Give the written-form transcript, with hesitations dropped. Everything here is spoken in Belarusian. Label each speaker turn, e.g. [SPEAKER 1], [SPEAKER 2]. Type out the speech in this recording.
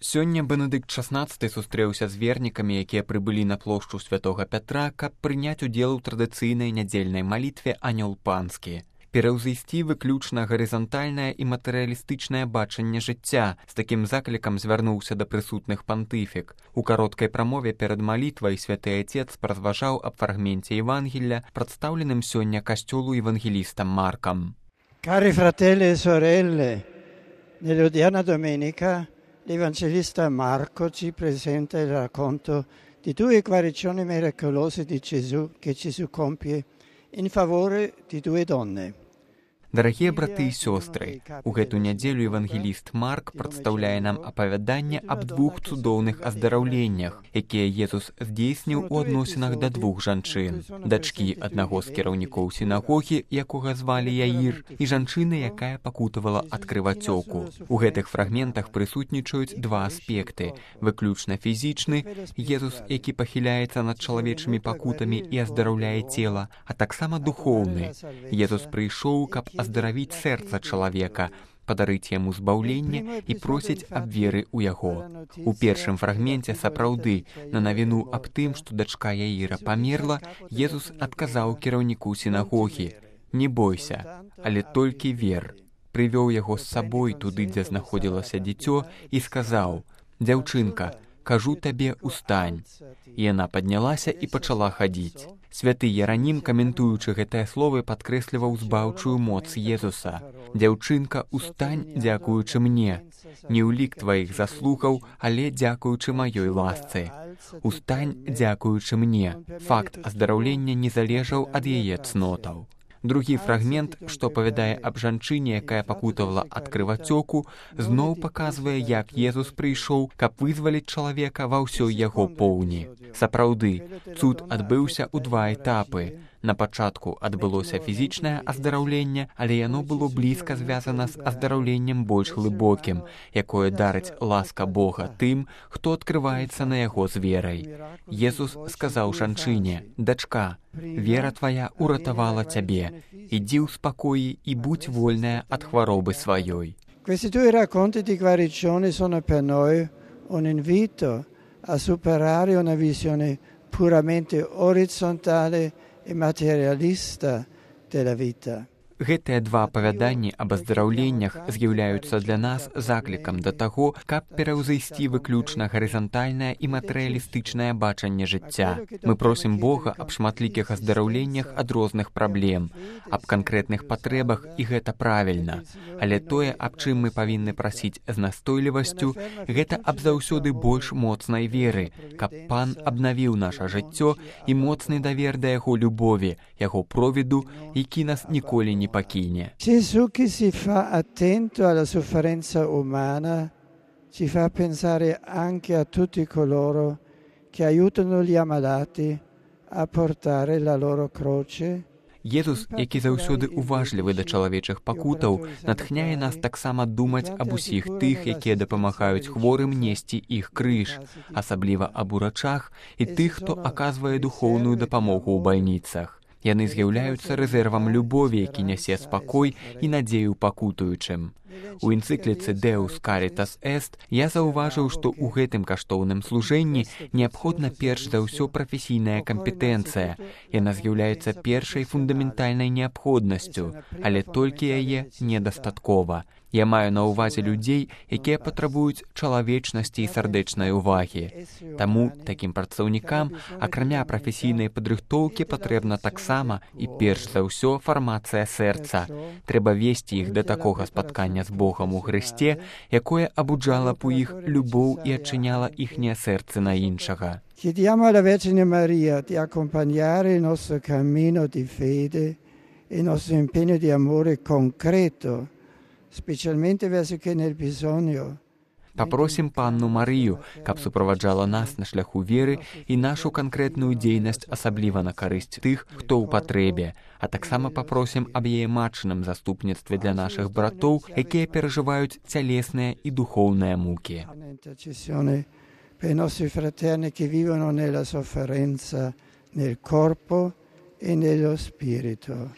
[SPEAKER 1] Сёння Бенедыкт XVI сустрэўся з вернікамі, якія прыбылі на плошчу Святога Пятра, каб прыняць удзел у традыцыйнай нядзельнай малітве «Анёл панскі». Пераўзысці выключна гарызантальнае і матэрыялістычнае бачанне жыцця. З такім заклікам звярнуўся да прысутных пантыфік. У кароткай прамове перад малітвай святы Отец паразважаў аб фрагменце Евангелля, прадстаўленым сёння касцёлу евангелістам Маркам.
[SPEAKER 2] Cari fratelli e sorelle, nell'odierna domenica l'Evangelista Marco ci presenta il racconto di due guarigioni miracolose di Gesù che Gesù compie in favore di due donne.
[SPEAKER 1] Дарагія браты і сёстры, у гэту нядзелю евангеліст Марк прадстаўляе нам апавяданне аб двух цудоўных аздараўленнях, якія Езус здзейсніў у адносінах да двух жанчын. Дачкі аднаго з кіраўнікоў сінагогі, якога звалі Яір, і жанчыны, якая пакутавала ад крывацёку. У гэтых фрагментах прысутнічаюць два аспекты. Выключна фізічны, Езус, які пахіляецца над чалавечымі пакутамі і аздараўляе цела, а таксама духоўны. Езус прыйшоў, каб аздаравіць сэрца чалавека, падарыць яму збаўленне і просіць аб веры ў яго. У першым фрагменце сапраўды на навіну аб тым, што дачка Яіра памерла, Езус адказаў кіраўніку сінагогі: «Не бойся, але толькі вер». Прывёў яго з сабой туды, дзе знаходзілася дзіцё, і сказаў: «Дзяўчынка, кажу табе, устань». Яна паднялася і пачала хадзіць. Святы Яранім, каментуючы гэтыя словы, падкрэсліваў збаўчую моц Езуса. «Дзяўчынка, устань, дзякуючы мне. Не ў лік тваіх заслугаў, але дзякуючы маёй ласцы. Устань, дзякуючы мне». Факт аздараўлення не залежаў ад яе цнотаў. Другі фрагмент, што апавядае аб жанчыне, якая пакутавала ад крывацёку, зноў паказвае, як Езус прыйшоў, каб вызваліць чалавека ва ўсёй яго поўні. Сапраўды, цуд адбыўся ў два этапы. На пачатку адбылося фізічнае аздараўленне, але яно было блізка звязана з аздараўленнем больш глыбокім, якое дарыць ласка Бога тым, хто адкрываецца на яго з верай. Езус сказаў жанчыне: «Дачка, вера твая уратавала цябе. Ідзі ў спакоі і будь вольная ад хваробы сваёй».
[SPEAKER 2] Questi due racconti di guarigione sono per noi un invito a superare una visione puramente orizzontale e materialista della vita.
[SPEAKER 1] Гэтыя два апавяданні аб аздараўленнях з'яўляюцца для нас заклікам да таго, каб пераўзайсці выключна гарызантальнае і матэрыялістычнае бачанне жыцця. Мы просім Бога аб шматлікіх аздараўленнях ад розных праблем, аб канкрэтных патрэбах, і гэта правільна. Але тое, аб чым мы павінны прасіць з настойлівасцю, гэта аб заўсёды больш моцнай веры, каб Пан абнавіў наша жыццё і моцны давер да яго любові, яго провіду, які нас ніколі не покине.
[SPEAKER 2] Gesù che si fa attento alla sofferenza umana ci fa pensare anche a tutti coloro che aiutano gli ammalati a portare la loro croce.
[SPEAKER 1] Езус, які заўсёды уважлівы да чалавечых пакутаў, натхняе нас таксама думаць аб усіх тых, якія дапамагаюць хворым несці іх крыж, асабліва аб урачах і тых, хто аказвае духоўную дапамогу ў бальніцах. Яны з'яўляюцца рэзервам любові, які нясе спакой і надзею пакутуючым. У энцыкліцы «Deus Caritas Est» я заўважыў, што ў гэтым каштоўным служэнні неабходна перш за ўсё прафесійная кампетэнцыя. Яна з'яўляецца першай фундаментальнай неабходнасцю, але толькі яе недастаткова. Я маю на ўвазе людзей, якія патрабуюць чалавечнасці і сардэчнай увагі. Таму такім прадстаўнікам, акрамя прафесійнай падрыхтоўкі, патрэбна таксама і перш за ўсё фармацыя сэрца. Трэба весці іх да такога спаткання з Богам у Хрысце, якое абуджала б у іх любоў і адчыняла іхнія сэрцы на іншага.
[SPEAKER 2] Chiediamo alla Vergine Maria di accompagnare il nostro cammino di fede e il nostro impegno di amore concreto, specialmente verso chi è nel bisogno.
[SPEAKER 1] Папросім Панну Марыю, каб суправаджала нас на шляху веры і нашу канкрэтную дзейнасць асабліва на карысць тых, хто ў патрэбе, а таксама папросім аб яе матчыным заступніцтве для нашых братоў, якія перажываюць цялесныя і духоўныя мукі.
[SPEAKER 2] Per i nostri fraterni che vivono nella sofferenza nel corpo e nello spirito.